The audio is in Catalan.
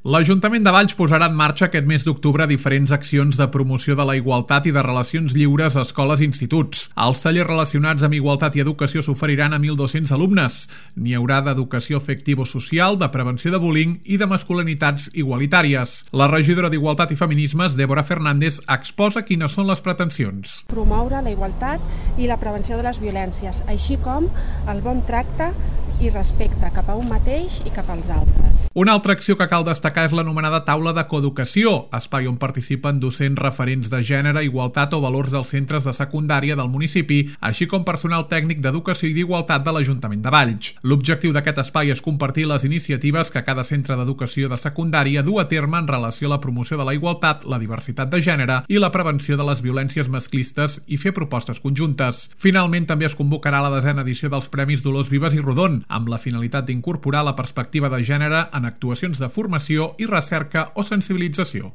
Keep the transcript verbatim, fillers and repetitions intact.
L'Ajuntament de Valls posarà en marxa aquest mes d'octubre diferents accions de promoció de la igualtat i de relacions lliures a escoles i instituts. Els tallers relacionats amb igualtat i educació s'oferiran a mil dos-cents alumnes. N'hi haurà d'educació afectivo-social, de prevenció de bullying i de masculinitats igualitàries. La regidora d'Igualtat i Feminismes, Débora Fernández, exposa quines són les pretensions. Promoure la igualtat i la prevenció de les violències, així com el bon tracte i respecte cap a un mateix i cap als altres. Una altra acció que cal destacar és l'anomenada taula de coeducació, espai on participen docents referents de gènere, igualtat o valors dels centres de secundària del municipi, així com personal tècnic d'educació i d'igualtat de l'Ajuntament de Valls. L'objectiu d'aquest espai és compartir les iniciatives que cada centre d'educació de secundària du a terme en relació a la promoció de la igualtat, la diversitat de gènere i la prevenció de les violències masclistes i fer propostes conjuntes. Finalment, també es convocarà la desena edició dels Premis Dolors Vives i Rodon, amb la finalitat d'incorporar la perspectiva de gènere en actuacions de formació i recerca o sensibilització.